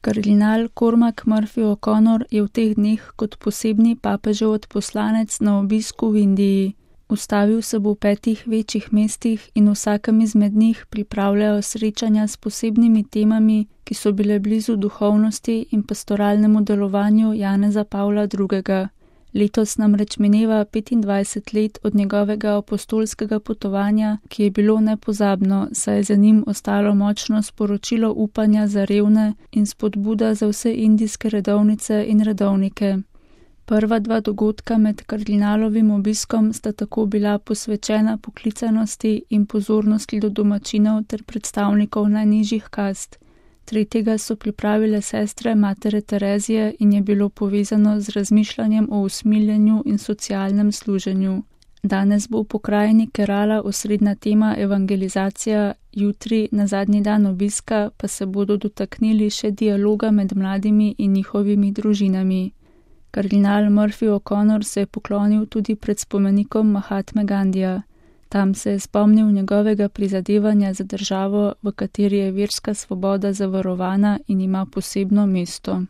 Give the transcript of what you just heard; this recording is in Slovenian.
Kardinal Cormac Murphy O'Connor je v teh dneh kot posebni papežev odposlanec na obisku v Indiji. Ustavil se bo v 5 večjih mestih in v vsakem izmed njih pripravljajo srečanja s posebnimi temami, ki so bile blizu duhovnosti in pastoralnemu delovanju Janeza Pavla II. Letos namreč mineva 25 let od njegovega apostolskega potovanja, ki je bilo nepozabno, saj je za njim ostalo močno sporočilo upanja za revne in spodbuda za vse indijske redovnice in redovnike. Prva 2 dogodka med kardinalovim obiskom sta tako bila posvečena poklicanosti in pozornosti do domačinov ter predstavnikov najnižjih kast. Tretjega so pripravile sestre Matere Terezije in je bilo povezano z razmišljanjem o usmiljenju in socialnem služenju. Danes bo v pokrajini Kerala osrednja tema evangelizacija, jutri, na zadnji dan obiska, pa se bodo dotaknili še dialoga med mladimi in njihovimi družinami. Kardinal Murphy O'Connor se je poklonil tudi pred spomenikom Mahatme Gandhija. Tam se je spomnil njegovega prizadevanja za državo, v kateri je verska svoboda zavarovana in ima posebno mesto.